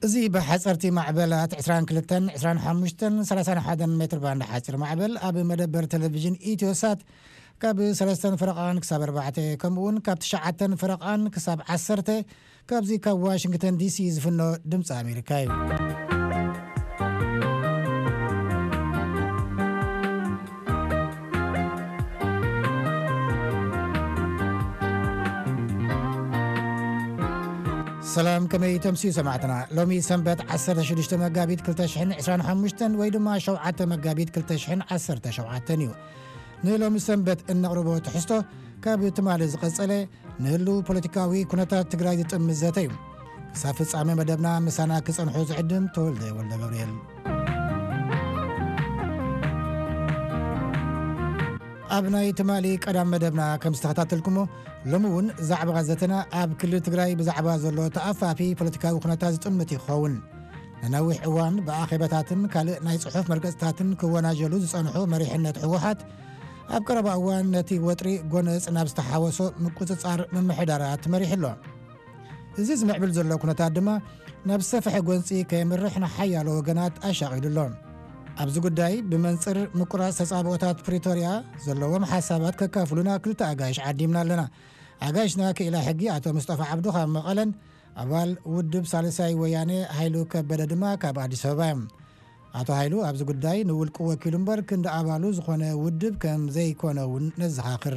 እዚ ብሓፀርቲ ማዕበላት ዕስራን ክልተን፣ ዕስራን ሓሙሽተን፣ ሰላሳን ሓደን ሜትር ባንድ ሓፂር ማዕበል ኣብ መደበር ቴሌቪዥን ኢትዮሳት ካብ ሰለስተን ፈረቓን ክሳብ ኣርባዕተ፣ ከምኡ እውን ካብ ትሽዓተን ፈረቓን ክሳብ ዓሰርተ፣ ካብዚ ካብ ዋሽንግተን ዲሲ ዝፍኖ ድምፂ ኣሜሪካ እዩ። ሰላም፣ ከመይ ተምስዩ ሰማዕትና? ሎሚ ሰንበት ዓሰርተ ሽዱሽተ መጋቢት ክልተ ሽሕን ዕስራን ሓሙሽተን ወይ ድማ ሸውዓተ መጋቢት ክልተ ሽሕን ዓሰርተ ሸውዓተን እዩ። ንሎሚ ሰንበት እነቕርቦ ትሕዝቶ ካብ ትማሊ ዝቐጸለ ንህሉ ፖለቲካዊ ኩነታት ትግራይ ዝጥምት ዘተ እዩ። ክሳብ ፍጻሜ መደብና ምሳና ክጸንሑ ዝዕድም ተወልደ ወልደ ገብርኤል። ኣብ ናይ ትማሊ ቀዳም መደብና ከም ዝተኸታተልኩሞ፣ ሎሚ እውን ዛዕባ ዘተና ኣብ ክልል ትግራይ ብዛዕባ ዘሎ ተኣፋፊ ፖለቲካዊ ኩነታት ዝጥምት ይኸውን። ንነዊሕ እዋን ብኣኼባታትን ካልእ ናይ ጽሑፍ መርገጽታትን ክወናጀሉ ዝጸንሑ መሪሕነት ህወሓት፣ ኣብ ቀረባ እዋን ነቲ ወጥሪ ጎነጽ ናብ ዝተሓወሶ ምቁጽጻር ምምሕዳራት መሪሑ ኣሎ። እዚ ዝምዕብል ዘሎ ኩነታት ድማ ናብ ዝሰፍሐ ጎንጺ ከየምርሕ ንሓያሎ ወገናት ኣሻቒሉ ኣሎ። ኣብዚ ጉዳይ ብመንጽር ምቁራጽ ተጻብኦታት ፕሪቶርያ ዘለዎም ሓሳባት ከካፍሉና ክልተ ኣጋይሽ ዓዲምና ኣለና። ኣጋይሽና ክኢላ ሕጊ ኣቶ ሙስጠፋ ዓብዱ ካብ መቐለን ኣባል ውድብ ሳልሳይ ወያኔ ሃይሉ ከበደ ድማ ካብ ኣዲስ ኣበባ እዮም። ኣቶ ሃይሉ ኣብዚ ጉዳይ ንውልቁ ወኪሉ እምበር ክንዲ ኣባሉ ዝኾነ ውድብ ከም ዘይኮነ እውን ነዘኻኽር።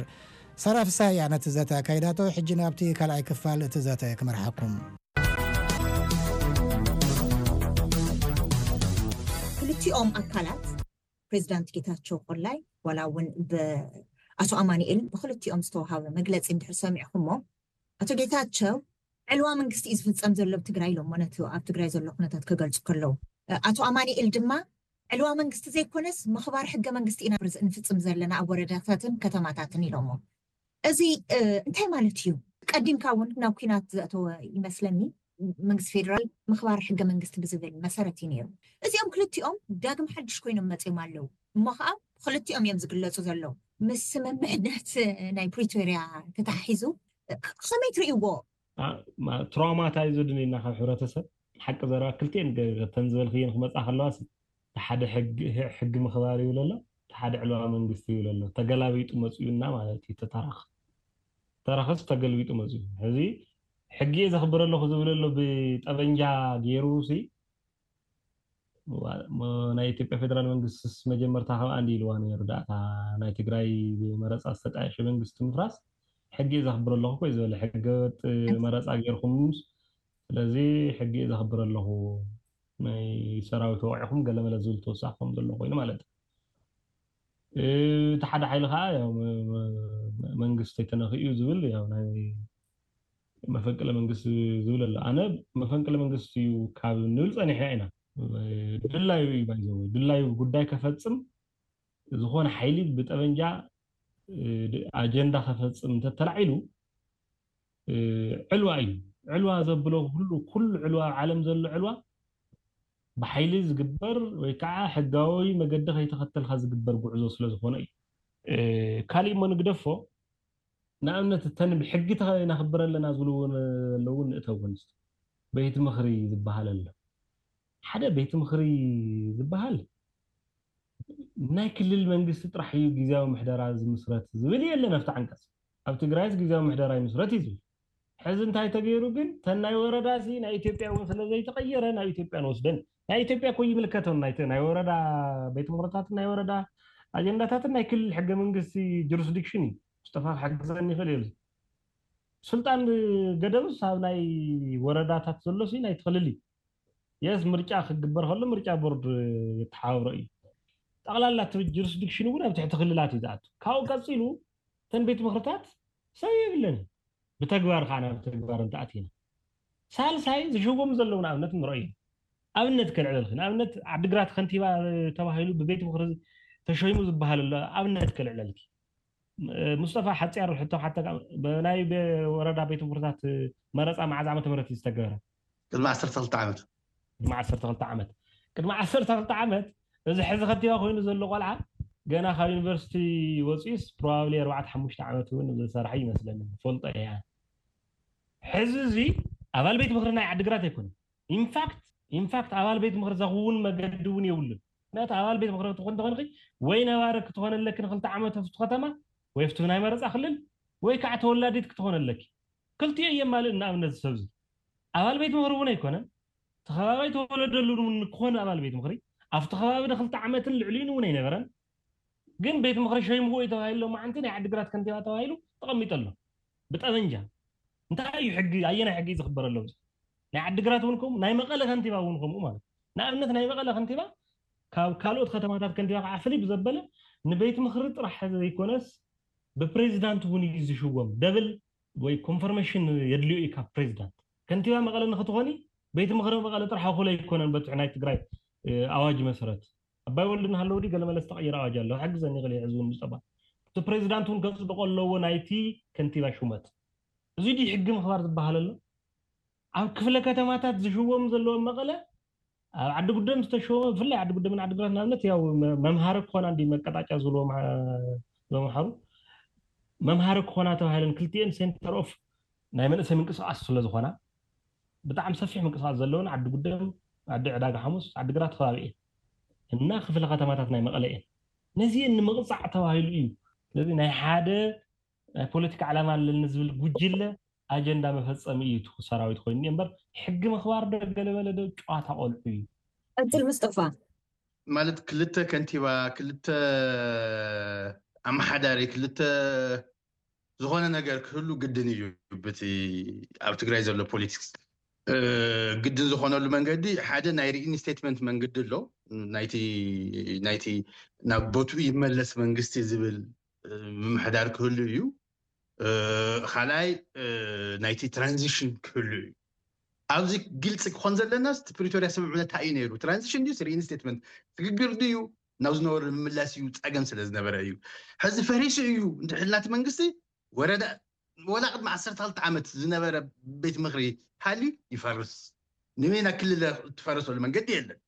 ሳራ ፍስሃያ ነቲ ዘተ ኣካይዳቶ። ሕጂ ናብቲ ካልኣይ ክፋል እቲ ዘተ ክመርሓኩም። ክልቲኦም ኣካላት ፕሬዚዳንት ጌታቸው ቆላይ ዋላ እውን ብኣቶ ኣማኑኤል ብክልቲኦም ዝተወሃበ መግለፂ እንድሕር ሰሚዕኩሞ፣ ኣቶ ጌታቸው ዕልዋ መንግስቲ እዩ ዝፍፀም ዘሎ ኣብ ትግራይ ኢሎሞ፣ ነቲ ኣብ ትግራይ ዘሎ ኩነታት ክገልፁ ከለዉ። ኣቶ ኣማኑኤል ድማ ዕልዋ መንግስቲ ዘይኮነስ ምኽባር ሕገ መንግስቲ ኢና ንፍፅም ዘለና ኣብ ወረዳታትን ከተማታትን ኢሎሞ። እዚ እንታይ ማለት እዩ? ቀዲምካ እውን ናብ ኲናት ዘእተወ ይመስለኒ። መንግስቲ ፌደራል ምኽባር ሕገ መንግስቲ ብዝብል መሰረት እዩ ነይሩ። እዚኦም ክልቲኦም ዳግም ሓድሽ ኮይኖም መፅዮም ኣለዉ። እሞ ከዓ ክልቲኦም እዮም ዝግለፁ ዘለዉ። ምስ ስምምዕነት ናይ ፕሪቶርያ ተተሓሒዙ ከመይ ትርእይዎ? ትራውማታይዝድ ኢና ካብ ሕብረተሰብ። ሓቂ ዘረባ ክልቲኤን ገተን ዝበልክየን ክመፃ ከለዋ፣ ሓደ ሕጊ ምኽባር ይብል ኣሎ፣ ሓደ ዕልዋ መንግስቲ ይብል ኣሎ። ተገላቢጡ መፅኡና ማለት እዩ። ተታራኽ ተራኸስ ተገልቢጡ መፅኡ። ሕዚ ሕጊ እየ ዘኽብር ኣለኹ ዝብል ኣሎ ብጠበንጃ ገይሩ ሲ ናይ ኢትዮጵያ ፌደራል መንግስትስ መጀመርታ ካብ ኣንዲ ኢልዋ ነይሩ ዳእታ ናይ ትግራይ ብመረፃ ዝተጣየሸ መንግስቲ ምፍራስ ሕጊ እየ ዘኽብር ኣለኹ ኮይ ዝበለ ሕገ ወጥ መረፃ ገይርኩም። ስለዚ ሕጊ እየ ዘኽብር ኣለኹ ናይ ሰራዊት ወቂዕኩም ገለመለ ዝብል ተወሳኺ ከም ዘሎ ኮይኑ ማለት እዩ። እቲ ሓደ ሓይሊ ከዓ መንግስቲ ተነኺኡ ዝብል ናይ መፈንቅለ መንግስቲ ዝብል ኣሎ። ኣነ መፈንቅለ መንግስቲ እዩ ካብ ንብል ፀኒሕና ኢና። ድላዩ እዩ ባይዘወ ድላዩ ጉዳይ ከፈፅም ዝኾነ ሓይሊ ብጠበንጃ ኣጀንዳ ከፈፅም እንተተላዒሉ ዕልዋ እዩ። ዕልዋ ዘብሎ ኩሉ ኩሉ ዕልዋ ኣብ ዓለም ዘሎ ዕልዋ ብሓይሊ ዝግበር ወይ ከዓ ሕጋዊ መገዲ ከይተኸተልካ ዝግበር ጉዕዞ ስለ ዝኾነ እዩ። ካሊእ እሞ ንግደፎ ንኣብነት እተን ብሕጊ ተኸነኽብር ኣለና ዝብሉ እውን ኣለዉ ንእተው ንስ ቤት ምኽሪ ዝበሃል ኣሎ። ሓደ ቤት ምኽሪ ዝበሃል ናይ ክልል መንግስቲ ጥራሕ እዩ ግዜያዊ ምሕደራ ዝምስረት ዝብል የለን ኣብቲ ዓንቀፅ። ኣብ ትግራይስ ግዜያዊ ምሕደራ ይምስረት እዩ ዝብል። ሕዚ እንታይ ተገይሩ ግን ተን ናይ ወረዳ ሲ ናይ ኢትዮጵያ እውን ስለ ዘይተቐየረ ናብ ኢትዮጵያ ንወስደን ናይ ኢትዮጵያ እኮ ይምልከተን ናይ ናይ ወረዳ ቤት ምኽርታትን ናይ ወረዳ ኣጀንዳታትን ናይ ክልል ሕገ መንግስቲ ጁሪስዲክሽን እዩ። ሙስጠፋ ክሕግዘኒ ይኽእል እዩ። ስልጣን ገደብስ ኣብ ናይ ወረዳታት ዘሎ ሲ ናይ ትኽልል እዩ። የስ ምርጫ ክግበር ከሎ ምርጫ ቦርድ የተሓባብሮ እዩ። ጠቕላላ እቲ ጁሪስዲክሽን እውን ኣብ ትሕቲ ክልላት እዩ ዝኣቱ። ካብኡ ቀፂሉ እተን ቤት ምኽርታት ሰብ የብለን። ብተግባር ከዓ ናብ ተግባር እንተኣቲና ሳልሳይ ዝሽወሙ ዘለዉ ንኣብነት ንረኦ ኢና። ኣብነት ከልዕለልኪ ንኣብነት ዓዲግራት ከንቲባ ተባሂሉ ብቤት ምኽሪ ተሸይሙ ዝበሃል ኣሎ። ኣብነት ከልዕለልኪ ሙስጠፋ ሓፂር ሕቶ ሓተካ ናይ ወረዳ ቤት ምኽርታት መረፃ መዓዝ ዓመተ ምህረት እዩ ዝተገበረ? ቅድሚ ዓሰርተ ክልተ ዓመት። ቅድሚ ዓሰርተ ክልተ ዓመት ቅድሚ ዓሰርተ ክልተ ዓመት እዚ ሕዚ ከንቲባ ኮይኑ ዘሎ ቆልዓ ገና ካብ ዩኒቨርሲቲ ወፂኡስ ፕሮባብሊ ኣርባዕተ ሓሙሽተ ዓመት እውን ዝሰርሐ ይመስለኒ ፈልጦ እያ። ሕዚ እዚ ኣባል ቤት ምኽሪ ናይ ዓዲግራት ኣይኮነን። ኢንፋክት ኢንፋክት ኣባል ቤት ምኽሪ ዘኽውን መገዲ እውን የብሉን። ምክንያቱ ኣባል ቤት ምኽሪ ክትኾን እንተኾንኺ ወይ ነባሪ ክትኾን ኣለኪ ንክልተ ዓመት ኣብቲ ከተማ ወይ ኣብቲ ናይ መረፃ ክልል ወይ ከዓ ተወላዲት ክትኾን ኣለኪ። ክልቲኡ የማልእ። ንኣብነት ዝሰብዚ ኣባል ቤት ምኽሪ እውን ኣይኮነን፣ ተኸባባይ ተወለደሉ እውን ክኾን ኣባል ቤት ምኽሪ ኣብቲ ከባቢ ንክልተ ዓመትን ልዕሊኡን እውን ኣይነበረን። ግን ቤት ምኽሪ ሸይምዎ እዩ ተባሂሉ ሎማዓንቲ ናይ ዓዲግራት ከንቲባ ተባሂሉ ተቐሚጡ ኣሎ ብጠበንጃ። እንታይ እዩ ሕጊ? ኣየናይ ሕጊ እዩ ዝኽበረሎም? ናይ ዓዲግራት እውን ከምኡ፣ ናይ መቐለ ከንቲባ እውን ከምኡ ማለት እዩ። ንኣብነት ናይ መቐለ ከንቲባ ካብ ካልኦት ከተማታት ከንቲባ ከዓ ፍልይ ብዘበለ ንቤት ምኽሪ ጥራሕ ዘይኮነስ ብፕሬዚዳንት እውን እዩ ዝሽወም። ደብል ወይ ኮንፈርሜሽን የድልዮ እዩ ካብ ፕሬዚዳንት። ከንቲባ መቐለ ንክትኾኒ ቤት ምኽሪ መቐለ ጥራሕ እኹል ኣይኮነን በቲ ናይ ትግራይ ኣዋጅ መሰረት። ኣባይ ወልዱ እናሃለዉ ድዩ ገለ መለ ዝተቐየረ ኣዋጅ ኣሎ? ሕግዘኒ ይኽእል እዩ ሕዚ እውን ምዝጠባ እቲ ፕሬዚዳንት እውን ከፅድቆ ኣለዎ ናይቲ ከንቲባ ሹመት። እዚ ድዩ ሕጊ ምኽባር ዝበሃል ኣሎ? ኣብ ክፍለ ከተማታት ዝሽወሙ ዘለዎም መቐለ ኣብ ዓዲ ጉደም ዝተሸወመ ብፍላይ ዓዲ ጉደምን ዓዲ ግራት ንኣብነት ያው መምሃሪ ክኾና እንዲ መቀጣጫ ዝብልዎ መምሃሩ መምሃሪ ክኾና ተባሂለን ክልቲኤን ሴንተር ኦፍ ናይ መንእሰይ ምንቅስቃስ ስለ ዝኾና ብጣዕሚ ሰፊሕ ምንቅስቃስ ዘለውን ዓዲ ጉደም ዓዲ ዕዳጋ ሓሙስ ዓዲ ግራት ከባቢ እየን እና ክፍለ ከተማታት ናይ መቐለ እየን። ነዚአን ንምቕፃዕ ተባሂሉ እዩ። ስለዚ ናይ ሓደ ናይ ፖለቲካ ዕላማ ኣለኒ ዝብል ጉጅለ ኣጀንዳ መፈፀሚ እዩ እቲ ሰራዊት ኮይኑ እምበር ሕጊ ምኽባር ዶ ገለመለ ዶ ጨዋታ ቆልዑ እዩ። ቀፅል ምስጠፋ። ማለት ክልተ ከንቲባ ክልተ ኣመሓዳሪ ክልተ ዝኾነ ነገር ክህሉ ግድን እዩ። ብቲ ኣብ ትግራይ ዘሎ ፖለቲክስ ግድን ዝኾነሉ መንገዲ ሓደ ናይ ሪኢንስቴትመንት መንገዲ ኣሎ። ናይቲ ናይቲ ናብ ቦትኡ ይመለስ መንግስቲ ዝብል ምምሕዳር ክህሉ እዩ። ካልኣይ ናይቲ ትራንዚሽን ክህሉ እዩ። ኣብዚ ግልፂ ክኾን ዘለና እቲ ፕሪቶርያ ስምምዕነት እንታይ እዩ ነይሩ? ትራንዚሽን ድዩ ሪኢንስቴትመንት? ስግግር ድዩ ናብ ዝነበሩ ንምምላስ እዩ? ፀገም ስለ ዝነበረ እዩ። ሕዚ ፈሪሱ እዩ እንድሕልናቲ መንግስቲ ወረዳ ወላ ቅድሚ ዓሰርተ ክልተ ዓመት ዝነበረ ቤት ምኽሪ ሃልዩ ይፈርስ። ንበይና ክልል ትፈርሰሉ መንገዲ የለን።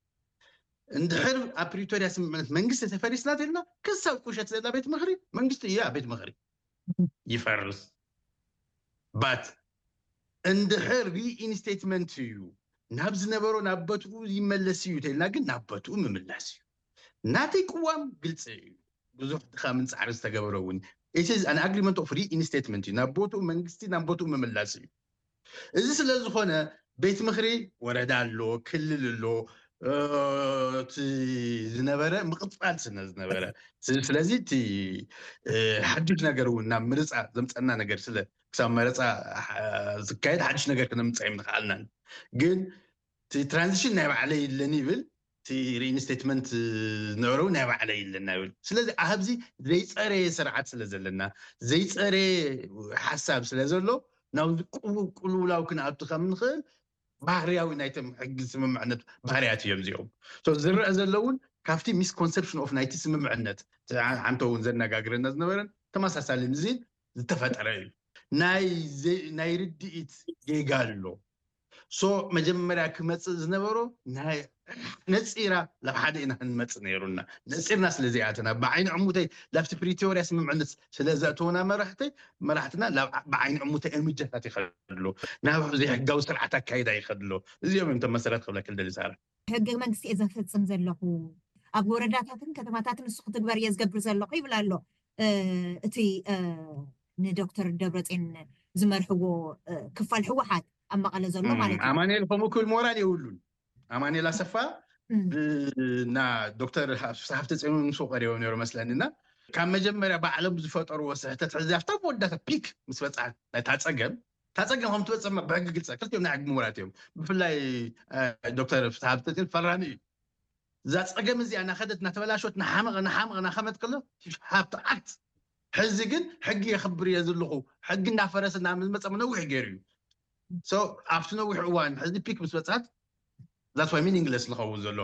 እንድሕር ኣብ ፕሪቶርያ ስምምዕነት መንግስቲ ተፈሪስና ተልና ክሳብ ቁሸት ዘላ ቤት ምኽሪ መንግስቲ እያ ቤት ምኽሪ ይፈርስ። ባት እንድሕር ሪኢንስቴትመንት እዩ ናብ ዝነበሮ ናብ በትኡ ይመለስ እዩ ተልና ግን ናብ በትኡ ምምላስ እዩ። ናተይ ቅዋም ግልፂ እዩ። ብዙሕ ድኻምን ፃዕሪ ዝተገበረ እውን it is an agreement of reinstatement እዩ ናብ ቦትኡ መንግስቲ ናብ ቦትኡ ምምላስ እዩ። እዚ ስለ ዝኾነ ቤት ምኽሪ ወረዳ ኣሎ፣ ክልል ኣሎ፣ እቲ ዝነበረ ምቕፃል ስለ ዝነበረ ስለዚ እቲ ሓዱሽ ነገር እውን ናብ ምርፃ ዘምፀና ነገር ስለ ክሳብ መረፃ ዝካየድ ሓዱሽ ነገር ክነምፅእ ኣይምንኽኣልናን። ግን እቲ ትራንዚሽን ናይ ባዕለይ ይለን ይብል እቲ ሪኢንስቴትመንት ዝነበረ ናይ ባዕለይ ይለና ይብል። ስለዚ ኣብዚ ዘይፀረየ ስርዓት ስለ ዘለና ዘይፀረየ ሓሳብ ስለ ዘሎ ናብዚ ቅልውላው ክንኣቱ ከም ንኽእል ባህርያዊ ናይቶም ሕጊ ስምምዕነት ባህርያት እዮም እዚኦም። ዝረአ ዘለውን ካብቲ ሚስኮንሰፕሽን ኦፍ ናይቲ ስምምዕነት ሓንተ እውን ዘነጋግረና ዝነበረን ተመሳሳሊ ምዚ ዝተፈጠረ እዩ። ናይ ርድኢት ጌጋ ኣሎ። ሶ መጀመርያ ክመፅእ ዝነበሮ ነፂራ ናብ ሓደ ኢና ክንመፅእ ነይሩና። ነፂርና ስለዘይኣተና ብዓይኒ ዕሙተይ ላብቲ ፕሪቶርያ ስምምዕነት ስለዘእተውና መራሕተይ መራሕትና ብዓይኒ ዕሙተይ እርምጃታት ይኸድሉ ናብ ዘይሕጋዊ ስርዓት ኣካይዳ ይኸድሎ። እዚኦም እዮም ተመሰረት ክብለክል ደሊ ሳራ። ሕገ መንግስቲ እየ ዘፈፅም ዘለኹ ኣብ ወረዳታትን ከተማታትን ንሱ ክትግበር እየ ዝገብር ዘለኹ ይብል ኣሎ። እቲ ንዶክተር ደብረፅዮን ዝመርሕዎ ክፋል ህወሓት ኣብ መቐለ ዘሎ ማለት እዩ። ኣማኑኤል ከምኡ ክብል ሞራል የብሉን። ኣማኑኤል ኣሰፋ እና ዶክተር ፍስሓ ሃብተፅዮን ምስ ቀሪቦም ነይሩ መስለኒ እና ካብ መጀመርያ ባዕሎም ዝፈጠርዎ ስሕተት ሕዚ ኣብታ መወዳእታ ፒክ ምስ በፅሓት ናይታ ፀገም እታ ፀገም ከም ትበፅሕ ብሕጊ ግልፂ ክልቲኦም ናይ ሕጊ ምሁራት እዮም። ብፍላይ ዶክተር ፍስሓ ሃብተፅዮን ፈራሚ እዩ። እዛ ፀገም እዚኣ እናኸደት እናተበላሸወት እናሓመቐ እናሓመቐ እናኸመት ከሎ ሃብቲ ዓት ሕዚ ግን ሕጊ የኽብር እየ ዘለኹ ሕጊ እናፈረሰ እናመፀ ነዊሕ ገይሩ እዩ። ኣብቲ ነዊሕ እዋን ሕዚ ፒክ ምስ በፃት that's why meaningless ዝኸውን ዘሎ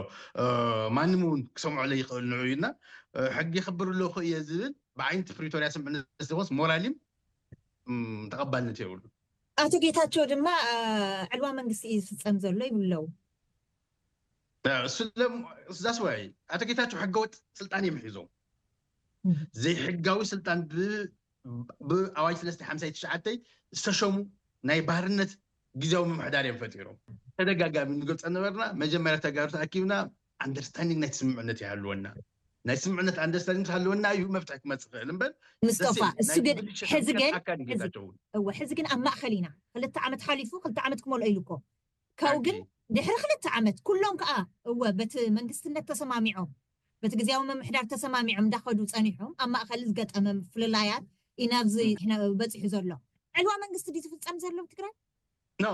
ማንም እውን ክሰምዖ ለይኽእል ንዑ እዩ እና ሕጊ የኽብር ኣለኹ እየ ዝብል ብዓይንቲ ፕሪቶርያ ስምምዕነት ዝኾንስ ሞራሊም ተቐባልነት የብሉ። ኣቶ ጌታቸው ድማ ዕልዋ መንግስቲ እዩ ዝፍፀም ዘሎ ይብሉ ኣለዉ። እሱ that's why ኣቶ ጌታቸው ሕገወጥ ስልጣን እዮም ሒዞም ዘይሕጋዊ ስልጣን ብኣዋጅ ሰለስተ ሓምሳይ ትሽዓተ ዝተሸሙ ናይ ባርነት ግዜያዊ ምምሕዳር እዮም ፈጢሮም። ተደጋጋሚ ንገልፀ ነበርና። መጀመርያ ተጋሩ ተኣኪብና ኣንደርስታንዲንግ ናይ ስምምዕነት ይሃልወና። ናይ ስምምዕነት ኣንደርስታንዲንግ ሃለወና እዩ መፍትሒ ክመፅእ ክእል እምበር ምስጠፋ እሱ ግን ሕዚ ግን ኣካል ጌታቸው እውን እወ ሕዚ ግን ኣብ ማእኸል ኢና። ክልተ ዓመት ሓሊፉ ክልተ ዓመት ክመልኦ ኢሉ እኮ ካብኡ ግን ድሕሪ ክልተ ዓመት ኩሎም ከዓ እወ በቲ መንግስትነት ተሰማሚዖም በቲ ግዜያዊ ምምሕዳር ተሰማሚዖም እንዳኸዱ ፀኒሖም ኣብ ማእኸል ዝገጠመ ምፍልላያት እዩ ናብዚ በፂሑ ዘሎ። ዕልዋ መንግስቲ ድዩ ዝፍፀም ዘሎ ትግራይ? ኖ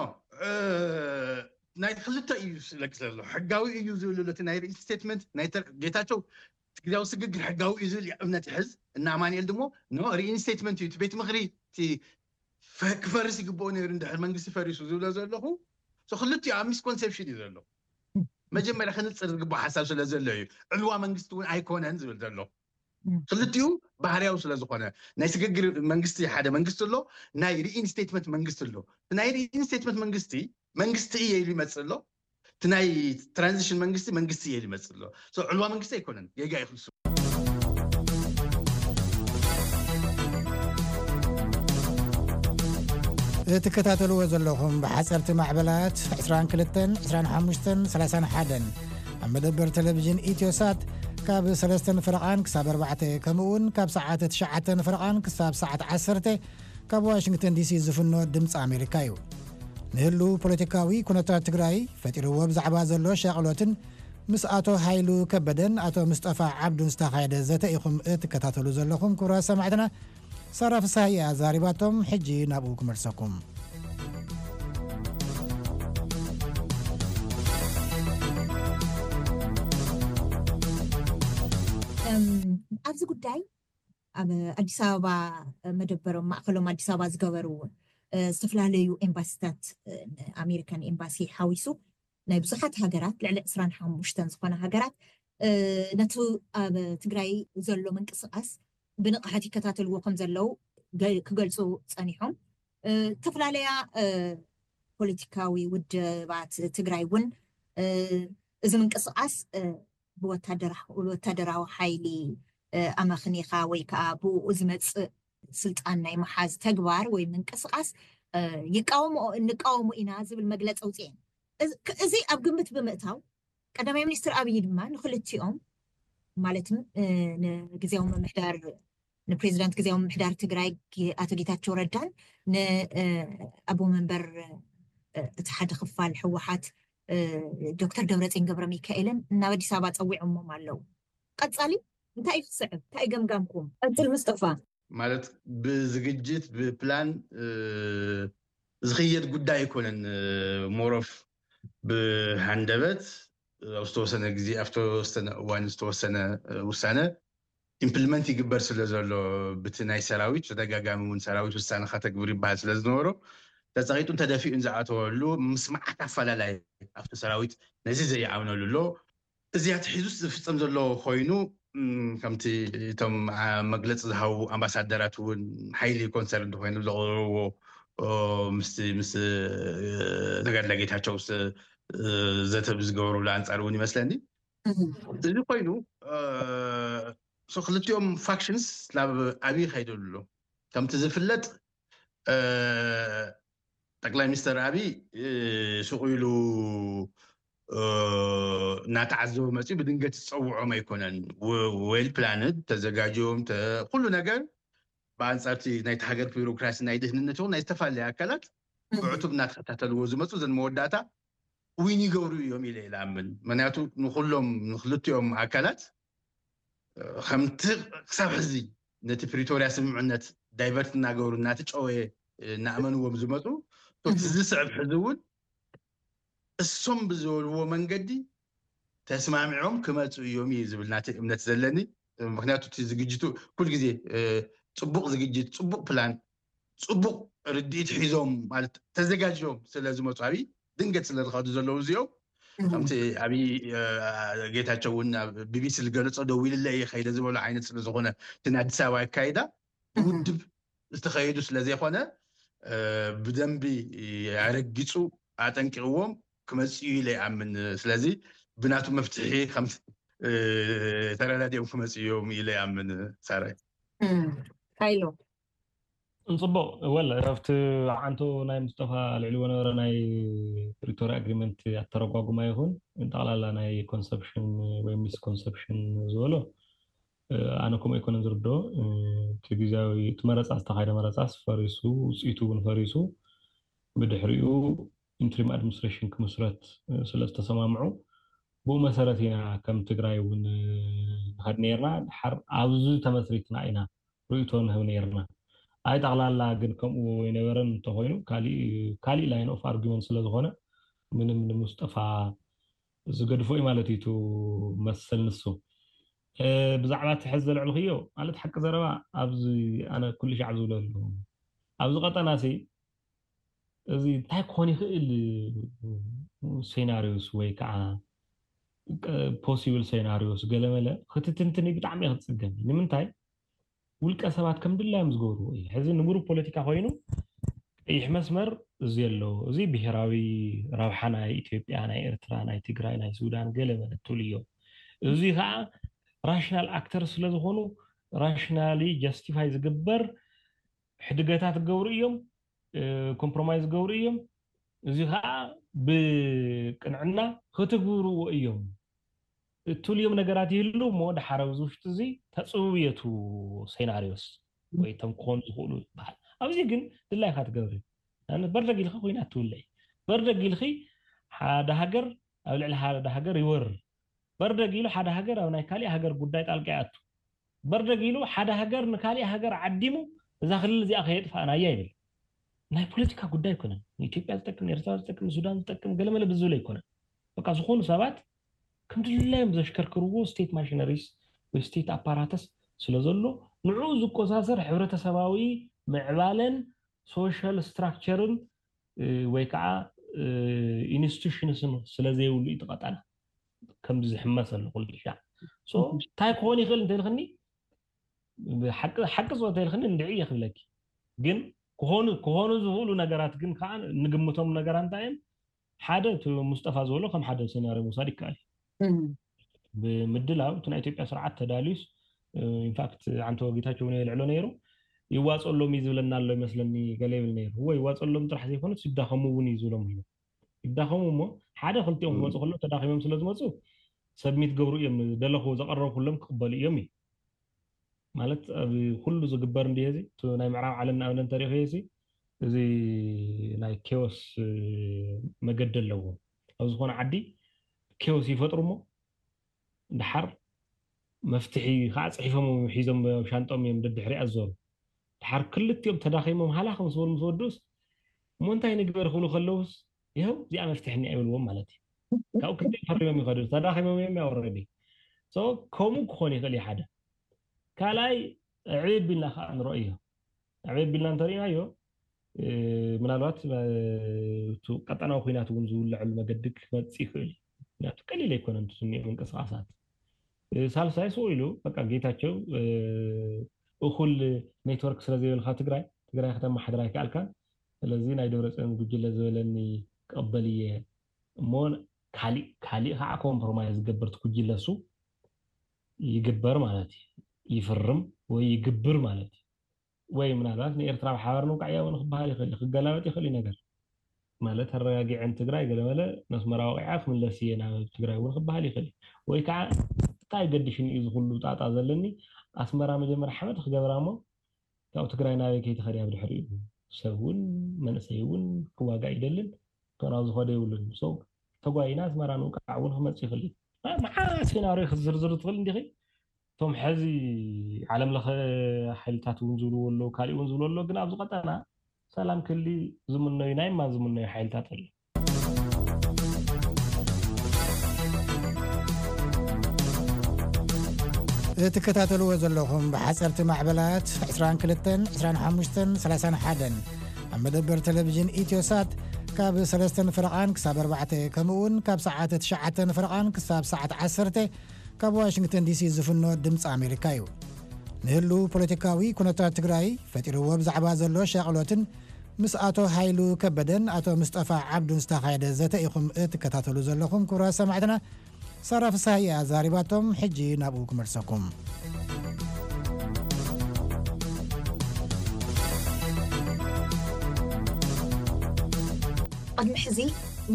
ናይ ክልተ እዩ ስለቅ ዘሎ ሕጋዊ እዩ ዝብል እቲ ናይ ሪኢንስቴትመንት ናይ ጌታቸው ግዜያዊ ስግግር ሕጋዊ እዩ ዝብል እምነት ይሕዝ እና ኣማንኤል ድሞ ኖ ሪኢንስቴትመንት እዩ እቲ ቤት ምክሪ እቲ ክፈርስ ይግብኦ ነይሩ እንድሕር መንግስቲ ፈሪሱ ዝብሎ ዘለኹ ክልቲኡ ኣብ ሚስኮንሴፕሽን እዩ ዘሎ። መጀመርያ ክንፅር ዝግባእ ሓሳብ ስለ ዘሎ እዩ። ዕልዋ መንግስቲ እውን ኣይኮነን ዝብል ዘሎ ክልቲኡ ባህርያዊ ስለ ዝኾነ ናይ ስግግር መንግስቲ ሓደ መንግስቲ ኣሎ፣ ናይ ሪኢንስቴትመንት መንግስቲ ኣሎ። ናይ ሪኢንስቴትመንት መንግስቲ መንግስቲ እየ ኢሉ ይመፅእ ኣሎ፣ እቲ ናይ ትራንዚሽን መንግስቲ መንግስቲ እየ ኢሉ ይመፅእ ኣሎ። ዕልዋ መንግስቲ ኣይኮነን፣ ጌጋ ይክልሱ። እትከታተልዎ ዘለኹም ብሓፀርቲ ማዕበላት ዕስራን ክልተን ዕስራን ሓሙሽተን ሰላሳን ሓደን ኣብ መደበር ቴሌቪዥን ኢትዮሳት ካብ ሰለስተን ፈረቓን ክሳብ ኣርባዕተ ከምኡውን ካብ ሰዓት ትሽዓተን ፈረቓን ክሳብ ሰዓት ዓሰርተ ካብ ዋሽንግተን ዲሲ ዝፍኖ ድምፂ ኣሜሪካ እዩ። ንህሉ ፖለቲካዊ ኩነታት ትግራይ ፈጢርዎ ብዛዕባ ዘሎ ሻቕሎትን ምስ ኣቶ ሃይሉ ከበደን ኣቶ ምስጠፋ ዓብዱን ዝተኻየደ ዘተ ኢኹም እትከታተሉ ዘለኹም ክቡራት ሰማዕትና። ሳራ ፍሳሃየ ኣዛሪባቶም። ሕጂ ናብኡ ክመልሰኩም። ኣብዚ ጉዳይ ኣብ ኣዲስ ኣበባ መደበሮም ማእከሎም ኣዲስ ኣበባ ዝገበሩ ዝተፈላለዩ ኤምባሲታት ኣሜሪካን ኤምባሲ ሓዊሱ ናይ ብዙሓት ሃገራት ልዕሊ ዕስራን ሓሙሽተን ዝኾነ ሃገራት ነቲ ኣብ ትግራይ ዘሎ ምንቅስቃስ ብንቕሓት ይከታተልዎ ከም ዘለዉ ክገልፁ ፀኒሖም። ዝተፈላለያ ፖለቲካዊ ውድባት ትግራይ እውን እዚ ምንቅስቃስ ብወታደራዊ ሓይሊ ኣመኽኒኻ ወይ ከዓ ብኡ ዝመፅእ ስልጣን ናይ መሓዝ ተግባር ወይ ምንቅስቃስ ይቃወምኦ እንቃወሙ ኢና ዝብል መግለፂ ኣውፅኤን። እዚ ኣብ ግምት ብምእታው ቀዳማይ ሚኒስትር ኣብይ ድማ ንክልቲኦም ማለትም ንግዜያዊ ምምሕዳር ንፕሬዚዳንት ግዜያዊ ምምሕዳር ትግራይ ኣቶ ጌታቸው ረዳን ንኣቦ መንበር እቲ ሓደ ክፋል ህወሓት ዶክተር ደብረፅዮን ገብረ ሚካኤልን ናብ ኣዲስ ኣበባ ፀዊዖሞም ኣለዉ። ቀፃሊ እንታይ እዩ ክስዕብ? እንታይ ገምጋምኩም? ቀፅል ምስጠፋ። ማለት ብዝግጅት ብፕላን ዝኽየድ ጉዳይ ኣይኮነን። ሞሮፍ ብሃንደበት ኣብ ዝተወሰነ ግዜ ኣብ ዝተወሰነ እዋን ዝተወሰነ ውሳነ ኢምፕልመንት ይግበር ስለ ዘሎ ብቲ ናይ ሰራዊት ተደጋጋሚ እውን ሰራዊት ውሳነ ከተግብር ይበሃል ስለ ዝነበሮ ተፀቂጡን ተደፊኡን ዝኣተወሉ ምስ መዓት ኣፈላላይ ኣብቲ ሰራዊት ነዚ ዘይኣምነሉ ኣሎ። እዚኣ ትሒዙስ ዝፍፀም ዘሎ ኮይኑ ከምቲ እቶም መግለፂ ዝሃቡ ኣምባሳደራት እውን ሓይሊ ኮንሰርን እንተኮይኑ ዘቕርብዎ ምስ ምስ ተጋድላ ጌታቸው ዘተ ብዝገበሩሉ ኣንፃር እውን ይመስለኒ እዚ ኮይኑ ክልቲኦም ፋክሽንስ ናብ ኣብይ ይኸይዱ ኣሎ። ከምቲ ዝፍለጥ ጠቅላይ ሚኒስተር ኣብይ ሱቕ ኢሉ እናተዓዘቡ መፅኡ ብድንገት ዝፀውዖም ኣይኮነን። ዌል ፕላንድ ተዘጋጅዮም ኩሉ ነገር ብኣንፃርቲ ናይቲ ሃገር ቢሮክራሲ ናይ ድህንነት እውን ናይ ዝተፈላለዩ ኣካላት ብዕቱብ እናተኸታተልዎ ዝመፁ ዘን መወዳእታ ዊን ይገብሩ እዮም ኢለ ይኣምን። ምክንያቱ ንኩሎም ንክልቲኦም ኣካላት ከምቲ ክሳብ ሕዚ ነቲ ፕሪቶርያ ስምምዕነት ዳይቨርት እናገበሩ እናተጨወየ እናእመንዎም ዝመፁ እቲ ዝስዕብ ሕዚ እውን እሶም ብዝበልዎ መንገዲ ተስማሚዖም ክመፁ እዮም እዩ ዝብል ናተይ እምነት ዘለኒ። ምክንያቱ እቲ ዝግጅቱ ኩል ግዜ ፅቡቅ ዝግጅት፣ ፅቡቅ ፕላን፣ ፅቡቅ ርድኢት ሒዞም ማለት ተዘጋጅዮም ስለ ዝመፁ ኣብይ ድንገት ስለ ዝኸዱ ዘለዉ እዚኦም ከምቲ ኣብይ ጌታቸው እውን ኣብ ቢቢሲ ዝገለፆ ደዊልለ እየ ከይደ ዝበሉ ዓይነት ስለ ዝኾነ እቲ ናይ ኣዲስ ኣበባ ኣካይዳ ብውድብ ዝተኸየዱ ስለ ዘይኮነ ብደንቢ ኣረጊፁ ኣጠንቂቕዎም ክመፅኡ ኢለ ይኣምን። ስለዚ ብናቱ መፍትሒ ከም ተረዳዲኦም ክመፅኡ እዮም ኢለ ይኣምን። ሳራይ ሃይሎ እንፅቡቕ ወለ ኣብቲ ዓንቶ ናይ ሙስጠፋ ልዕሊዎ ነበረ ናይ ፕሪቶሪያ ኣግሪመንት ኣተረጓጉማ ይኹን ጠቕላላ ናይ ኮንሰፕሽን ወይ ሚስኮንሰፕሽን ዝበሎ ኣነ ከምኡ ኣይኮነን ዝርዶ እቲ ግዜያዊ እቲ መረፃ ዝተካይደ መረፃስ ፈሪሱ ውፅኢቱ እውን ፈሪሱ ብድሕሪኡ ኢንትሪም ኣድሚኒስትሬሽን ክምስረት ስለ ዝተሰማምዑ ብኡ መሰረት ኢና ከም ትግራይ እውን ንኸድ ነርና ድሓር ኣብዚ ተመስሪትና ኢና ርእቶ ንህብ ነርና ኣይ ጠቕላላ ግን ከምኡ ይነበረን እንተኮይኑ ካሊእ ላይን ኦፍ ኣርጊመንት ስለዝኮነ ምንም ንሙስጠፋ ዝገድፎ እዩ ማለት እዩ መሰል ንሱ ብዛዕባ እቲ ሕዚ ዘልዕልክዮ ማለት ሓቂ ዘረባ ኣብዚ ኣነ ኩሉ ሻዕ ዝብሎ ኣለኹ ኣብዚ ቀጠና ሲ እዚ እንታይ ክኾን ይኽእል ሴናሪዮስ ወይ ከዓ ፖሲብል ሴናሪዮስ ገለመለ ክትትንትኒ ብጣዕሚ ክትፅገም ንምንታይ ውልቀ ሰባት ከም ድላዮም ዝገብርዎ እዩ ሕዚ ንቡር ፖለቲካ ኮይኑ ቀይሕ መስመር እዚ ኣሎ እዚ ብሄራዊ ረብሓ ናይ ኢትዮጵያ ናይ ኤርትራ ናይ ትግራይ ናይ ሱዳን ገለ መለ ትብልዮ እዚ ከዓ ራሽናል ኣክተር ስለዝኾኑ ራሽናሊ ጃስቲፋይ ዝግበር ሕድገታት ክገብሩ እዮም ኮምፕሮማይዝ ክገብሩ እዮም እዚ ከዓ ብቅንዕና ክትግብርዎ እዮም እትብልዮም ነገራት ይህሉ እሞ ድሓር ኣብዚ ውሽጢ እዚ ተፅብብየቱ ሴናሪዮስ ወይ ቶም ክኾኑ ዝኽእሉ ይበሃል ኣብዚ ግን ድላይካ ትገብር በርደግ ኢልካ ኮይና ትውልዒ በርደግ ኢልኺ ሓደ ሃገር ኣብ ልዕሊ ሓደ ሃገር ይወርር በርደግ ኢሉ ሓደ ሃገር ኣብ ናይ ካሊእ ሃገር ጉዳይ ጣልቃ ይኣቱ በርደግ ኢሉ ሓደ ሃገር ንካሊእ ሃገር ዓዲሙ እዛ ክልል እዚኣ ከየጥፋእናያ ይብል ናይ ፖለቲካ ጉዳይ ኣይኮነን ንኢትዮጵያ ዝጠቅም ንኤርትራ ዝጠቅም ንሱዳን ዝጠቅም ገለመለ ብዝብል ኣይኮነን በቃ ዝኾኑ ሰባት ከም ድላዮም ዘሽከርክርዎ ስቴት ማሽነሪስ ወይ ስቴት ኣፓራተስ ስለ ዘሎ ንዕኡ ዝቆሳሰር ሕብረተሰባዊ ምዕባለን ሶሻል ስትራክቸርን ወይ ከዓ ኢንስቲቱሽንስን ስለዘይብሉ እዩ ትቐጠና ከምዚ ዝሕመስ ኣሎ ኩልሻ እንታይ ክኾን ይኽእል እንተልክኒ ሓቂ ዝወተ ኢልክኒ እንድዒ እየ ክብለኪ ግን ክኾኑ ክኾኑ ዝኽእሉ ነገራት ግን ከዓ ንግምቶም ነገራ እንታይ እዮም ሓደ እቲ ሙስጠፋ ዝበሎ ከም ሓደ ሴናርዮ ምውሳድ ይከኣል እዩ ብምድላው እቲ ናይ ኢትዮጵያ ስርዓት ተዳልዩስ ኢንፋክት ዓንቶ ጌታቸው እውን የልዕሎ ነይሩ ይዋፀሎም እዩ ዝብለና ኣሎ ይመስለኒ ገለ ይብል ነይሩ እወ ይዋፀሎም ጥራሕ ዘይኮነስ ይዳኸሙ እውን እዩ ዝብሎም ኣሎ ይዳኸሙ እሞ ሓደ ክልቲኦም ክመፁ ከሎ ተዳኺሞም ስለ ዝመፁ ሰብሚት ገብሩ እዮም ደለኹ ዘቐረብኩሎም ክቕበሉ እዮም እዩ ማለት ኣብ ኩሉ ዝግበር እንዲ እዚ ናይ ምዕራብ ዓለም ንኣብነት እንተሪእኽዮ እዚ ናይ ኬዎስ መገዲ ኣለዎም ኣብ ዝኾነ ዓዲ ኬዎስ ይፈጥሩ እሞ ድሓር መፍትሒ ከዓ ፅሒፎም ሒዞም ሻንጦም እዮም ደድሕሪ ኣዞሩ ድሓር ክልቲኦም ተዳኺሞም ሃላኽ ምስ በሉ ምስ ወዱስ እሞ እንታይ ንግበር ክብሉ ከለውስ ይኸው እዚኣ መፍትሒ እኒኣ ይብልዎም ማለት እዩ ካብኡ ክንደይ ፈሪሞም ይኸዱ ተዳኺሞም እዮም ያወረዲ ከምኡ ክኾን ይኽእል እዩ ሓደ ካልኣይ ዕብይ ቢልና ከዓ ንረእዮ ዕብይ ቢልና እንተሪእናዮ ምናልባት ቀጠናዊ ኩናት እውን ዝውለዐሉ መገዲ ክመፅእ ይኽእል እዩ ምክንያቱ ቀሊል ኣይኮነን ትስኒኦ ምንቅስቃሳት ሳልሳይ ስቕ ኢሉ በቃ ጌታቸው እኹል ኔትወርክ ስለዘይበልካ ትግራይ ትግራይ ከተማሓድር ኣይከኣልካን ስለዚ ናይ ደብረፅዮን ጉጅለ ዝበለኒ ክቕበል እየ እሞ ካሊእ ካሊእ ከዓ ኮምፕሮማይዝ ዝገብር ትኩጅለ እሱ ይግበር ማለት እዩ ይፍርም ወይ ይግብር ማለት እዩ ወይ ምናልባት ንኤርትራ ብሓባር ንውቃዕ እያ እውን ክበሃል ይኽእል ክገላበጥ ይኽእል እዩ ነገር ማለት ኣረጋጊዐን ትግራይ ገለመለ ነስመራ ወቂዓ ክምለስ እየ ናብ ትግራይ እውን ክበሃል ይኽእል ወይ ከዓ እንታይ ገድሽን እዩ ዝኩሉ ጣጣ ዘለኒ ኣስመራ መጀመርያ ሓመድ ክገብራ እሞ ካብኡ ትግራይ ናበይ ከይትኸድ እያ ብድሕሪኡ ሰብ እውን መንእሰይ እውን ክዋጋእ ይደልን እቶ ናብ ዝኸዶ የብሉን ተጓይና ኣስመራ ንውቃዕ እውን ክመፅእ ይኽእል እዩ መዓ ሴናሪዮ ክትዝርዝር ትኽእል እንዲኺ እቶም ሕዚ ዓለም ለኸ ሓይልታት እውን ዝብልዎ ኣለዉ ካሊእ እውን ዝብሉ ኣለዉ ግን ኣብዚ ቀጠና ሰላም ክሊ ዝምነዩ ናይ ማን ዝምነዩ ሓይልታት ኣሎ እትከታተልዎ ዘለኹም ብሓፀርቲ ማዕበላት 22 25 31 ኣብ መደበር ቴሌቪዥን ኢትዮሳት ካብ ሰለስተን ፍረቓን ክሳብ ኣርባዕተ ከምኡውን ካብ ሰዓት ትሽዓተን ፍረቓን ክሳብ ሰዓት ዓሰርተ ካብ ዋሽንግተን ዲሲ ዝፍኖ ድምፂ ኣሜሪካ እዩ። ንህሉ ፖለቲካዊ ኩነታት ትግራይ ፈጢርዎ ብዛዕባ ዘሎ ሻቕሎትን ምስ ኣቶ ሃይሉ ከበደን ኣቶ ምስጠፋ ዓብዱን ዝተኻየደ ዘተ ኢኹም እትከታተሉ ዘለኹም ክቡራት ሰማዕትና። ሳራ ፍስሃ እያ ዛሪባቶም። ሕጂ ናብኡ ክመልሰኩም። ቅድሚ ሕዚ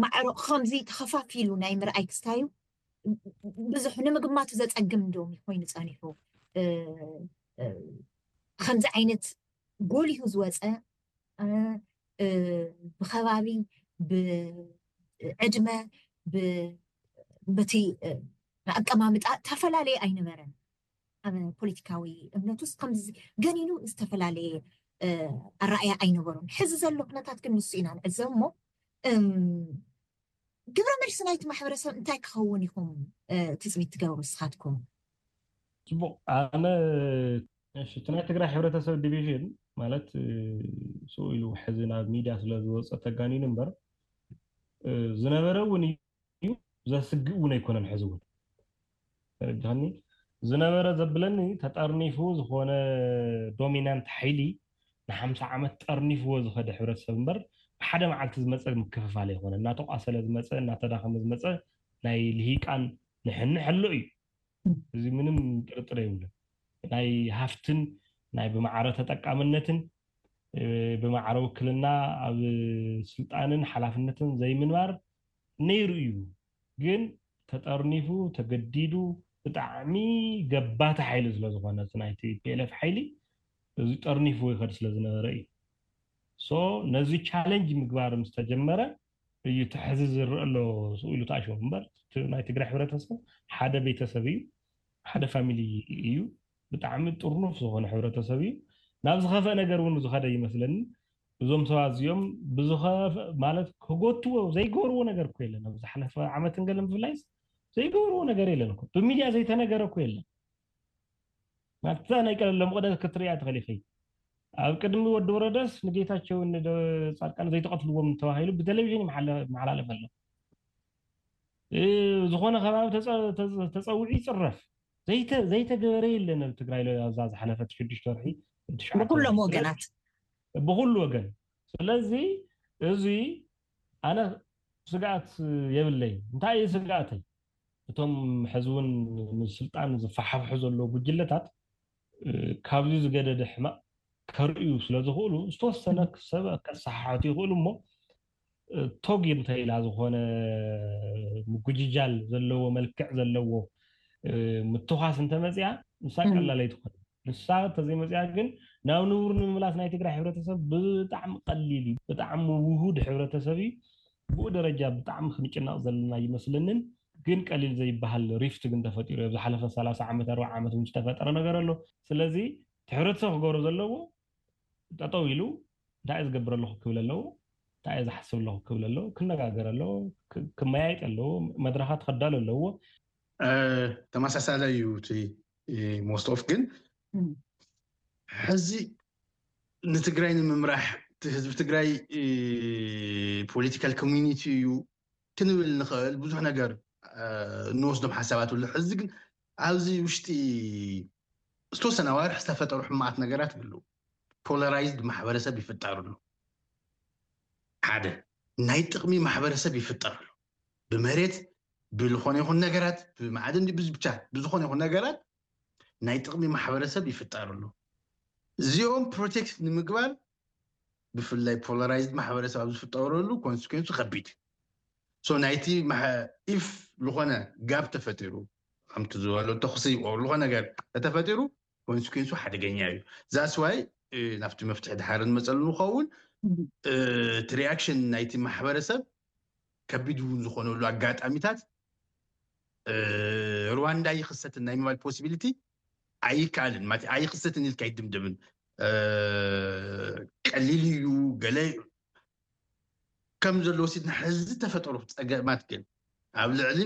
ማዕሮ ከምዚ ተኸፋፊሉ ናይ ምርኣይ ክስታዩ ብዙሕ ንምግማቱ ዘጸግም እንዶም ኮይኑ ጸኒሑ። ከምዚ ዓይነት ጎሊሁ ዝወፀ ብከባቢ፣ ብዕድመ፣ በቲ ኣቀማምጣ ተፈላለየ ኣይነበረን። ኣብ ፖለቲካዊ እምነት ውስጥ ከምዚ ገኒኑ ዝተፈላለየ ኣረኣያ ኣይነበሩን። ሕዚ ዘሎ ኩነታት ግን ንሱ ኢና ንዕዘብ እሞ ግብረ መልሲ ናይቲ ማሕበረሰብ እንታይ ክኸውን ኢኹም ትፅቢት ትገብሩ ንስኻትኩም? ፅቡቕ። ኣነ እቲ ናይ ትግራይ ሕብረተሰብ ዲቪዥን ማለት ስኡ ኢሉ ሕዚ ናብ ሚድያ ስለ ዝወፀ ተጋኒኑ እምበር ዝነበረ እውን እዩ፣ ዘስግእ እውን ኣይኮነን። ሕዚ እውን ተረድኻኒ? ዝነበረ ዘብለኒ ተጠርኒፉ ዝኾነ ዶሚናንት ሓይሊ ንሓምሳ ዓመት ጠርኒፍዎ ዝኸደ ሕብረተሰብ እምበር ብሓደ መዓልቲ ዝመፀ ምክፍፋል ኣይኮነ። እናተቋሰለ ዝመፀ፣ እናተዳኸመ ዝመፀ ናይ ልሂቃን ንሕንሕ ኣሎ እዩ። እዚ ምንም ጥርጥር የብሉን። ናይ ሃፍትን ናይ ብማዕረ ተጠቃምነትን ብማዕረ ውክልና ኣብ ስልጣንን ሓላፍነትን ዘይምንባር ነይሩ እዩ። ግን ተጠርኒፉ ተገዲዱ ብጣዕሚ ገባቲ ሓይሊ ስለዝኾነ እቲ ናይ ቲፒኤልኤፍ ሓይሊ እዚ ጠርኒፉ ይኸድ ስለዝነበረ እዩ። ሶ ነዚ ቻለንጅ ምግባር ምስ ተጀመረ እዩ እቲ ሕዚ ዝረአ ኣሎ ስኡ ኢሉ ተኣሽሙ እምበር እቲ ናይ ትግራይ ሕብረተሰብ ሓደ ቤተሰብ እዩ፣ ሓደ ፋሚሊ እዩ። ብጣዕሚ ጥርኑፍ ዝኾነ ሕብረተሰብ እዩ። ናብ ዝኸፍአ ነገር እውን ዝኸደ ይመስለኒ። እዞም ሰባት እዚኦም ብዝኸፍአ ማለት ክጎትዎ ዘይገብርዎ ነገር እኮ የለን። ኣብ ዝሓለፈ ዓመትን ገለን ብፍላይስ ዘይገብርዎ ነገር የለን እኮ። ብሚድያ ዘይተነገረ እኮ የለን። ናብታ ናይ ቀለለ መቕደስ ክትሪኣ ትኽእል ኢኺ። ኣብ ቅድሚ ወዲ ወረደስ ንጌታቸውን ንደ- ጻድቃን ዘይተቐትልዎም ተባሂሉ ብቴሌቪዥን ይመሓለ- ይመሓላለፍ ኣሎ። እ፣ ዝኾነ ከባቢ ተጸ- ተጸ- ተጸዊዑ ይጽረፍ። ዘይተ- ዘይተገበረ የለን ኣብ ትግራይ ለ- ኣብዛ ዝሓለፈት ሽዱሽተ ወርሒ ትሽዓተ ብኩሎም ወርሒ። ወገናት ብኩሉ ወገን። ስለዚ እዚ ኣነ ስግኣት የብለይ። እንታይ እዩ ስግኣተይ? እቶም ሕዚ እውን ንስልጣን ዝፈሓፍሑ ዘለዉ ጉጅለታት እ፣ ካብዚ ዝገደደ ሕማቕ ከርእዩ ስለ ዝኽእሉ ዝተወሰነ ሰብ ከሰሓሕቱ ይኽእሉ እሞ እ፣ ቶግ እንተኢላ ዝኾነ ምጉጅጃል ዘለዎ መልክዕ ዘለዎ እ፣ ምትኳስ እንተመፅያ ንሳ ቀላል ኣይትኾን። ንሳ እንተዘይመፅያ ግን ናብ ንቡር ንምምላስ ናይ ትግራይ ሕብረተሰብ ብጣዕሚ ቀሊል እዩ። ብጣዕሚ ውሁድ ሕብረተሰብ እዩ። ብኡ ደረጃ ብጣዕሚ ክንጭነቕ ዘለና ይመስለንን ግን ቀሊል ዘይበሃል ሪፍት ግን ተፈጢሩ እዩ። ዝሓለፈ ሰላሳ ዓመት ኣርባዓ ዓመት እውን ዝተፈጠረ ነገር ኣሎ። ስለዚ እቲ ሕብረተሰብ ክገብሮ ዘለዎ ጠጠው ኢሉ እንታይ ዝገብር ኣለኹ ክብል ኣለዎ፣ እንታይ ዝሓስብ ኣለኹ ክብል ኣለዎ፣ ክነጋገር ኣለዎ፣ ክመያየጥ ኣለዎ፣ መድረኻት ከዳሉ ኣለዎ። ተመሳሳላይ እዩ እቲ ሞስት ኦፍ ግን ሕዚ ንትግራይ ንምምራሕ ህዝቢ ትግራይ ፖለቲካል ኮሚኒቲ እዩ ክንብል ንኽእል ብዙሕ ነገር እንወስዶም ሓሳባት ኣሎ። ሕዚ ግን ኣብዚ ውሽጢ ዝተወሰነ ኣዋርሕ ዝተፈጠሩ ሕማቓት ነገራት ይህልው። ፖላራይዝድ ማሕበረሰብ ይፍጠር ኣሎ። ሓደ ናይ ጥቕሚ ማሕበረሰብ ይፍጠር ኣሎ። ብመሬት ብዝኾነ ይኹን ነገራት ብማዕድን ብቻ ብዝኾነ ይኹን ነገራት ናይ ጥቕሚ ማሕበረሰብ ይፍጠር ኣሎ። እዚኦም ፕሮቴክት ንምግባር ብፍላይ ፖላራይዝድ ማሕበረሰብ ኣብ ዝፍጠረሉ ኮንስኩንሱ ከቢድ። ሶ ናይቲ ኢፍ ዝኾነ ጋብ ተፈጢሩ ከምቲ ዝበሎ ተኽሲ ዝኾነ ነገር ተተፈጢሩ ኮንስኩንሱ ሓደገኛ እዩ። ዛስዋይ ናብቲ መፍትሒ ድሓር ንመፀሉ ንኸውን እቲ ሪኣክሽን ናይቲ ማሕበረሰብ ከቢድ እውን ዝኾነሉ ኣጋጣሚታት ሩዋንዳ ይኽሰትን ናይ ምባል ፖሲቢሊቲ ኣይከኣልን ማለት ኣይኽሰትን ኢልካ ኣይድምድምን። ቀሊል እዩ ገለ ከም ዘሎ ወሲድና ሕዚ ተፈጠሩ ፀገማት ግን ኣብ ልዕሊ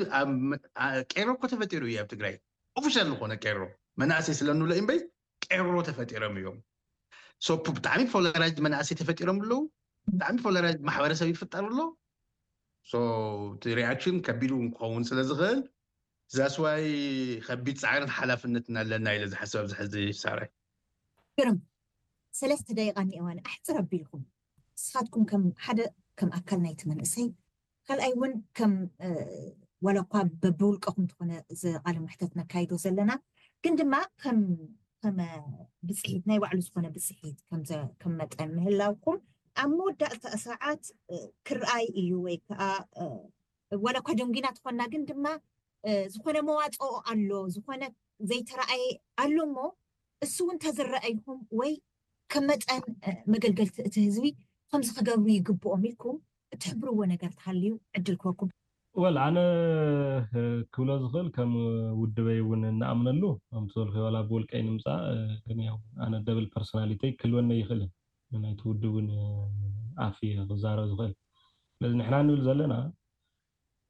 ቄሮ እኮ ተፈጢሩ እዩ ኣብ ትግራይ ኦፊሻል ዝኾነ ቄሮ መናእሰይ ስለንብሎ እምበይ ቄሮ ተፈጢሮም እዮም። ብጣዕሚ ፖላራይዝድ መናእሰይ ተፈጢሮም ኣለዉ። ብጣዕሚ ፖላራይዝድ ማሕበረሰብ ይፍጠር ኣሎ። እቲ ሪኣክሽን ከቢድ እውን ክኸውን ስለ ዝኽእል ዛስዋይ ከቢድ ፃዕርን ሓላፍነትን ኣለና ኢለ ዝሓስብ ኣብዚ ሕዚ ሳራይ። ግርም ሰለስተ ደቂቃ እኒአዋኒ ኣሕፅር ኣቢልኩም ንስኻትኩም ከም ሓደ ከም ኣካል ናይቲ መንእሰይ ካልኣይ እውን ከም ዋላ እኳ በብውልቀኹም ዝኾነ ቃለ መሕተት ነካይዶ ዘለና ግን ድማ ከም ከም ብፅሒት ናይ ባዕሉ ዝኾነ ብፅሒት ከም መጠን ምህላውኩም ኣብ መወዳእታ ሰዓት ክረኣይ እዩ፣ ወይ ከዓ ዋላ እኳ ደንጉይና ትኾና፣ ግን ድማ ዝኾነ መዋፅኦ ኣሎ፣ ዝኾነ ዘይተረኣየ ኣሎ እሞ እሱ እውን ተዝረኣይኹም ወይ ከም መጠን መገልገልቲ እቲ ህዝቢ ከምዚ ክገብሩ ይግብኦም ኢልኩም እትሕብርዎ ነገር ተሃልዩ ዕድል ክወኩም። ወል ኣነ ክብሎ ዝኽእል ከም ውድበይ እውን እንኣምነሉ ከምቲ ዝበልክዮ ዋላ ብውልቀይ ንምፃእ ግን ያው ኣነ ደብል ፐርሶናሊተይ ክልወነ ይኽእልን ናይቲ ውድብ እውን ኣፍ ክዛረብ ዝኽእል። ስለዚ ንሕና ንብል ዘለና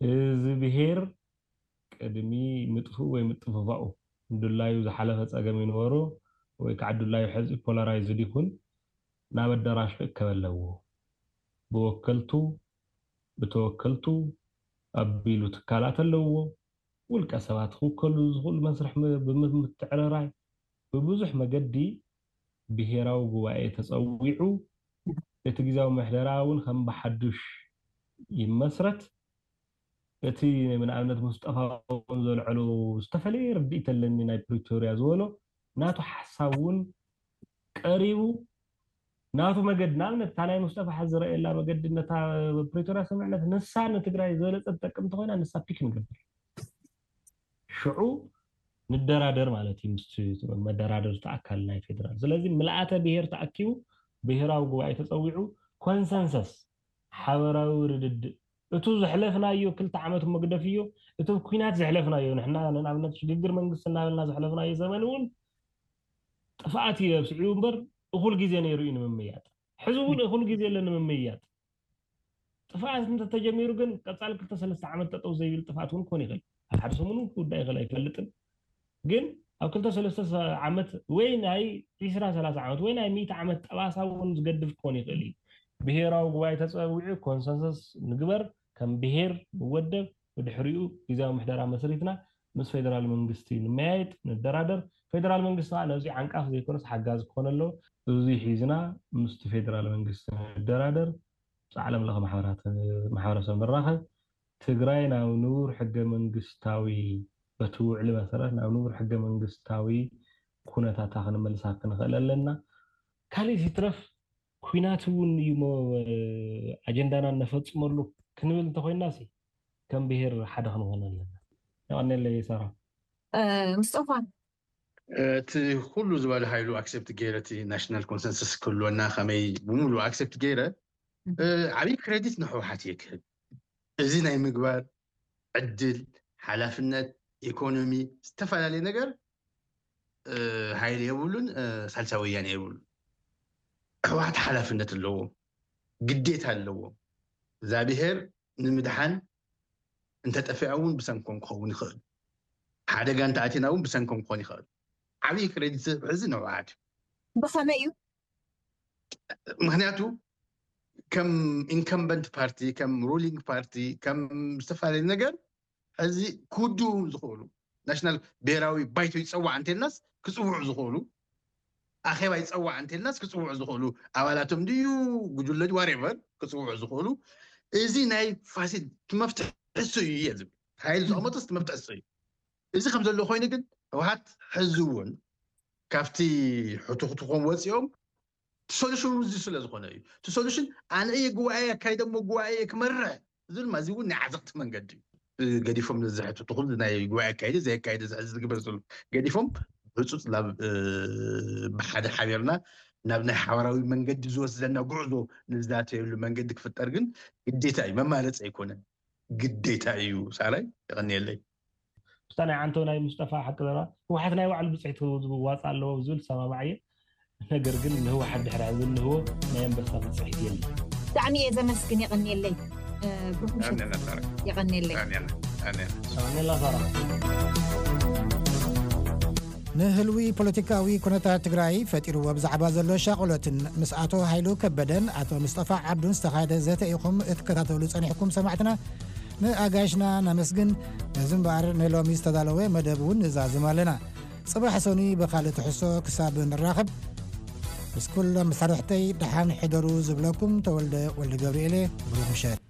እዚ ብሄር ቅድሚ ምጥፍኡ ወይ ምጥፍፋኡ ድላዩ ዝሓለፈ ፀገም ይንበሩ ወይ ከዓ ድላዩ ሕዚ ፖላራይዝድ ይኹን ናብ ኣዳራሽ ክእከብ ኣለዎ። ብወከልቱ ብተወከልቱ ኣቢሉ ትካላት ኣለዎ። ውልቀ ሰባት ክውከሉ ዝኽእሉ መስርሕ ብምትዕርራይ ብብዙሕ መገዲ ብሄራዊ ጉባኤ ተፀዊዑ እቲ ግዜያዊ ምሕደራ እውን ከም ብሓዱሽ ይመስረት። እቲ ንኣብነት ሙስጠፋ እውን ዘልዐሎ ዝተፈለየ ርድኢት ኣለኒ ናይ ፕሪቶርያ ዝበሎ ናቱ ሓሳብ እውን ቀሪቡ ናቱ መገዲ ንኣብነት እታ ናይ ሙስጠፋ ሓዚ ዝረኣየላ መገዲ ነታ ፕሪቶርያ ስምምዕነት ንሳ ንትግራይ ዝበለፀ ትጠቅም እንተኮይና ንሳ ፒክ ንገብር ሽዑ ንደራደር ማለት እዩ ምስ መደራደርቲ ኣካል ናይ ፌደራል። ስለዚ ምልኣተ ብሄር ተኣኪቡ ብሄራዊ ጉባኤ ተፀዊዑ ኮንሰንሰስ ሓበራዊ ርድድእ እቱ ዘሕለፍናዮ ክልተ ዓመት መግደፍ እዮ። እቲ ኩናት ዘሕለፍናዮ ንሕና ንኣብነት ሽግግር መንግስቲ እናበልና ዘሕለፍናዮ ዘመን እውን ጥፍኣት እዩ ኣብስዒቡ እምበር እኹል ግዜ ነይሩ እዩ ንምምያጥ። ሕዚ እውን እኹል ግዜ ኣሎ ንምምያጥ። ጥፍኣት እንተተጀሚሩ ግን ቀፃሊ ክልተ ሰለስተ ዓመት ጠጠው ዘይብል ጥፍኣት እውን ክኾን ይኽእል። ኣብ ሓደ ሰሙን እውን ክውዳእ ይኽእል ኣይፈልጥን። ግን ኣብ ክልተ ሰለስተ ዓመት ወይ ናይ ዒስራ ሰላሳ ዓመት ወይ ናይ ሚእቲ ዓመት ጠባሳ እውን ዝገድፍ ክኾን ይኽእል እዩ። ብሄራዊ ጉባኤ ተፀዊዑ ኮንሰንሰስ ንግበር፣ ከም ብሄር ንወደብ፣ ብድሕሪኡ ግዜያዊ ምሕደራ መስሪትና ምስ ፌደራል መንግስቲ ንመያየጥ፣ ንደራደር። ፌደራል መንግስቲ ከዓ ነዚ ዓንቃፍ ዘይኮነስ ሓጋዚ ክኾን ኣለዎ። እዚ ሒዝና ምስቲ ፌደራል መንግስቲ ንደራደር፣ ምስ ዓለም ለኸ ማሕበራት ማሕበረሰብ ንራኸብ። ትግራይ ናብ ንቡር ሕገ መንግስታዊ በቲ ውዕሊ መሰረት ናብ ንቡር ሕገ መንግስታዊ ኩነታታ ክንመልሳ ክንኽእል ኣለና። ካሊእ ይትረፍ ኩናት እውን እዩ ኣጀንዳና እነፈፅመሉ ክንብል እንተኮይና ሲ ከም ብሄር ሓደ ክንኾን ኣለና። የቐኔለይ ሳራ። ምስጦፋ እቲ ኩሉ ዝበለ ሃይሉ ኣክሰፕት ገይረ እቲ ናሽናል ኮንሰንሰስ ክህልወና ከመይ ብሙሉ ኣክሰፕት ገይረ ዓብይ ክሬዲት ንህወሓት እየ ክህብ። እዚ ናይ ምግባር ዕድል፣ ሓላፍነት፣ ኢኮኖሚ፣ ዝተፈላለየ ነገር ሃይለ የብሉን፣ ሳልሳይ ወያነ የብሉን። ህወሓት ሓላፍነት ኣለዎ፣ ግዴታ ኣለዎ። እዛ ብሄር ንምድሓን እንተጠፊኣ እውን ብሰንኮም ክኸውን ይኽእል። ሓደጋ እንተኣቲና እውን ብሰንኮም ክኾን ይኽእል። ዓብዪ ክሬዲት ሕዚ ንህወሓት እዩ። ብኸመይ እዩ? ምክንያቱ ከም ኢንከምበንት ፓርቲ፣ ከም ሩሊንግ ፓርቲ፣ ከም ዝተፈላለዩ ነገር ሕዚ ክውድኡ ዝኽእሉ ናሽናል ብሄራዊ ባይቶ ይፀዋዕ እንተልናስ ክፅውዑ ዝኽእሉ ኣኼባ ይፀዋዕ እንተልናስ ክፅውዑ ዝኽእሉ ኣባላቶም ድዩ ጉጅለ ዋሬቨር ክፅውዑ ዝኽእሉ እዚ ናይ ፋሲል መፍትሒ እሱ እዩ እየ ዝብል። ሓይል ዝቐመጦ እቲ መፍትሒ እሱ እዩ። እዚ ከም ዘሎ ኮይኑ ግን ህወሓት ሕዚ እውን ካብቲ ሕቱኽቱኾም ወፂኦም እቲ ሶሉሽን እዚ ስለ ዝኾነ እዩ። እቲ ሶሉሽን ኣነ እየ ጉባኤ ኣካይደ እሞ ጉባኤ እየ ክመርሕ ዝብል ማዚ እውን ናይ ዓዘቕቲ መንገዲ እዩ። ገዲፎም ነዚ ሕቶ እቲ ኩሉ ናይ ጉባኤ ኣካይደ ዘየካይደ ዝሕዚ ዝግበር ዘሎ ገዲፎም ህፁፅ ናብ ብሓደ ሓቢርና ናብ ናይ ሓበራዊ መንገዲ ዝወስደና ጉዕዞ ንዛተየሉ መንገዲ ክፍጠር ግን ግዴታ እዩ፣ መማረፂ ኣይኮነን፣ ግዴታ እዩ። ሳላይ የቐንየለይ። ምስታ ናይ ዓንቶ ናይ ምስጠፋ ሓቂ ዘረባ ህወሓት ናይ ባዕሉ ብፅሒት ዝዋፃ ኣለዎ ዝብል ሰማማዕ እየ። ነገር ግን ንህወሓት ድሕሪ ዝንህዎ ናይ ኣንበሳ ብፅሒት የለን። ብጣዕሚ እየ ዘመስግን፣ የቐንየለይ። ብሩክ ምሸት። የቐንየለይ። ኣሜላ ሳራ። ንህልዊ ፖለቲካዊ ኩነታት ትግራይ ፈጢርዎ ብዛዕባ ዘሎ ሻቕሎትን ምስ ኣቶ ሃይሉ ከበደን ኣቶ ምስጠፋ ዓብዱን ዝተኻየደ ዘተ ኢኹም እትከታተሉ ጸኒሕኩም ሰማዕትና። ንኣጋይሽና ነመስግን። ነዚ እምበኣር ንሎሚ ዝተዳለወ መደብ እውን ንዛዝም ኣለና። ጽባሕ ሰኑይ ብኻልእ ትሕዝቶ ክሳብ ንራኸብ ምስ ኩሎም መሳርሕተይ ደሓን ሕደሩ ዝብለኩም ተወልደ ወልደ ገብርኤል እየ። ብሩኽ ምሸት።